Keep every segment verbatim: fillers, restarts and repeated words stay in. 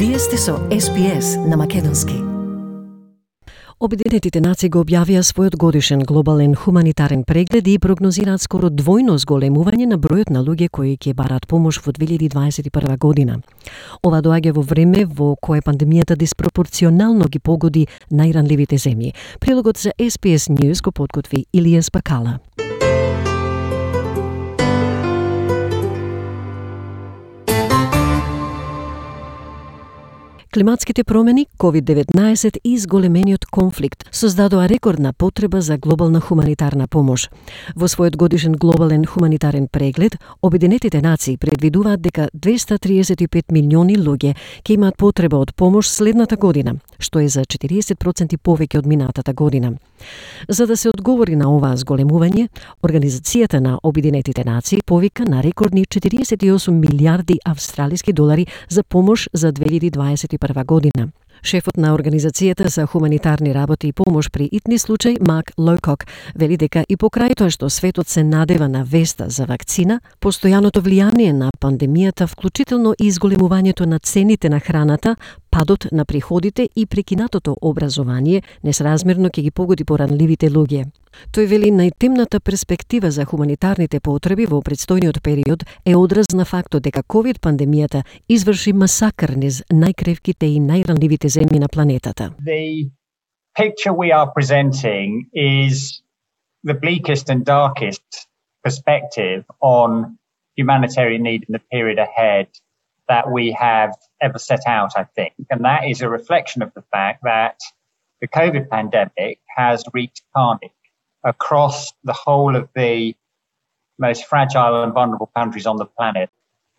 Вие сте со Ес Би Ес на македонски. Обединетите нации го објавија својот годишен глобален хуманитарен преглед и прогнозираат скоро двојно зголемување на бројот на луѓе кои ќе бараат помош во две илјади дваесет и прва година. Ова доаѓа во време во кое пандемијата диспропорционално ги погоди најранливите земји. Прилогот за Ес Би Ес News го подготви Илија Спакала. Климатските промени, ковид деветнаесет и зголемениот конфликт создадоа рекордна потреба за глобална хуманитарна помош. Во својот годишен глобален хуманитарен преглед, Обединетите нации предвидуваат дека двеста триесет и пет милиони луѓе ќе имаат потреба од помош следната година, што е за четириесет проценти повеќе од минатата година. За да се одговори на оваа зголемување, Организацијата на Обединетите нации повика на рекордни четириесет и осум милијарди австралиски долари за помош за две илјади дваесет и прва година. Шефот на Организацијата за хуманитарни работи и помош при итни случај, Марк Лоукок, вели дека и покрај тоа што светот се надева на веста за вакцина, постојаното влијание на пандемијата, вклучително и изголемувањето на цените на храната, падот на приходите и прекинатото образование несразмерно ќе ги погоди поранливите луѓе. Тој вели најтемната перспектива за хуманитарните потреби во предстојниот период е одраз на фактот дека ковид пандемијата изврши масакр низ најкревките и најранливите земји на планетата. The picture we are presenting is the bleakest and darkest perspective on humanitarian need in the period ahead that we have ever set out, I think. And that is a reflection of the fact that the COVID pandemic has wreaked carnage across the whole of the most fragile and vulnerable countries on the planet.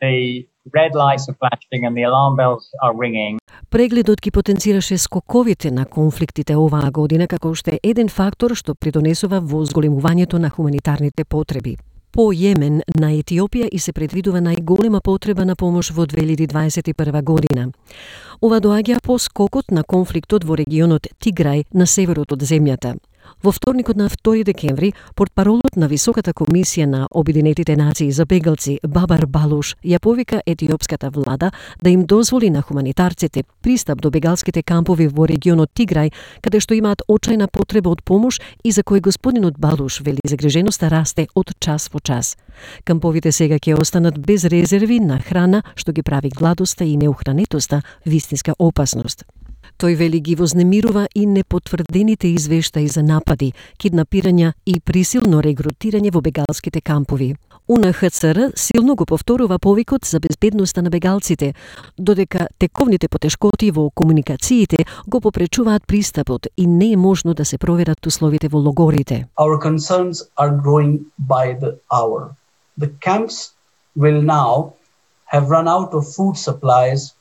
The red lights are flashing and the alarm bells are ringing. Прегледот ги потенцираше скоковите на конфликтите оваа година како уште еден фактор што придонесува во зголемувањето на хуманитарните потреби. По Јемен на Етиопија и се предвидува најголема потреба на помош во две илјади дваесет и прва година. Ова доаѓа по скокот на конфликтот во регионот Тиграј на северот од земјата. Во вторникот на втори декември, портпаролот на Високата комисија на Обединетите нации за бегалци Бабар Балуш ја повика етиопската влада да им дозволи на хуманитарците пристап до бегалските кампови во регионот Тиграј, каде што имаат очајна потреба од помош и за кој господинот Балуш вели загриженоста расте од час во час. Камповите сега ќе останат без резерви на храна, што ги прави гладоста и неухранетоста вистинска опасност. Тој вели ги вознемирува и непотврдените извештаи за напади, киднапирања и присилно регрутирање во бегалските кампови. У Ен Ха Це Ер силно го повторува повикот за безбедноста на бегалците, додека тековните потешкоти во комуникациите го попречуваат пристапот и не е можно да се проверат условите во логорите. Our concerns are growing by the hour. The camps will now have run out of food supplies,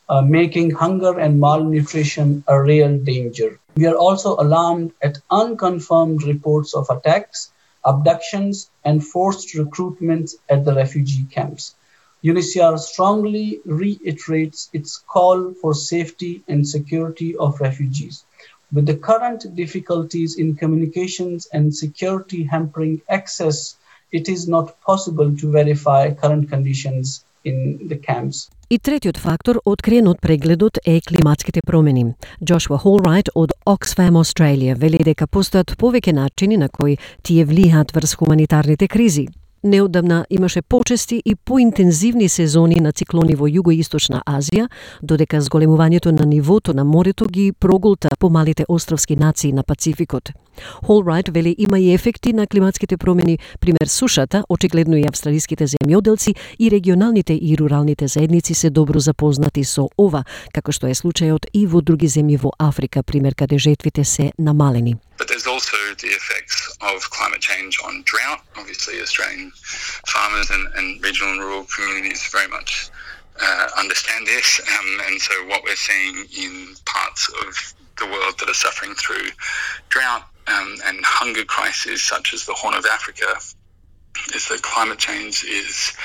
Uh, making hunger and malnutrition a real danger. We are also alarmed at unconfirmed reports of attacks, abductions, and forced recruitment at the refugee camps. U N H C R strongly reiterates its call for safety and security of refugees. With the current difficulties in communications and security hampering access, it is not possible to verify current conditions in the camps. И третиот фактор откриен од прегледот е климатските промени. Джошуа Холрайт од Oxfam Australia вели дека постојат повеќе начини на кои тие влијаат врз хуманитарните кризи. Неодамна имаше почести и поинтензивни сезони на циклони во Југоисточна Азија, додека зголемувањето на нивото на морето ги проголта помалите островски нации на Пацификот. Холрайт вели има и ефекти на климатските промени, пример сушата, очигледно и австралиските земјоделци и регионалните и руралните заедници се добро запознати со ова, како што е случајот и во други земји во Африка, пример каде жетвите се намалени. But there's also the effects of climate change on drought. Obviously, Australian farmers and, and regional and rural communities very much uh, understand this. Um, and so what we're seeing in parts of the world that are suffering through drought um, and hunger crises, such as the Horn of Africa, is that climate change is,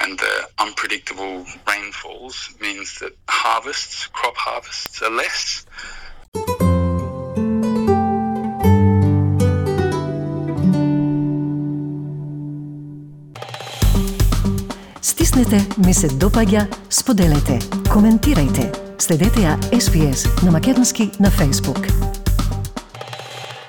and the unpredictable rainfalls means that harvests, crop harvests are less. Стиснете, ми се допаѓа, споделете, коментирајте. Следете ја Ес Би Ес на македонски на Facebook.